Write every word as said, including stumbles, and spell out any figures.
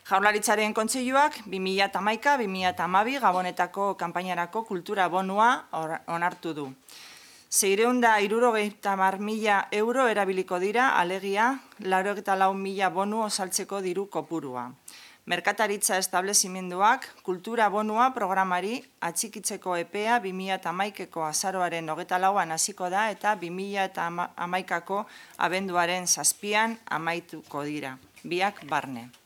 Jaurlaritzaren Kontseiluak bi mila hamaika bi mila hamabi Gabonetako kanpainarako kultura bonua onartu du. Seiehun eta hirurogeita hamar mila euro erabiliko dira, alegia laurogeita lau mila bonu osaltzeko diru kopurua. Merkataritza establezimenduak kultura bonua programari atxikitzeko epea bi mila hamaikako azaroaren hogeita lauan hasiko da eta bi mila hamaikako abenduaren zazpian amaituko dira, biak barne.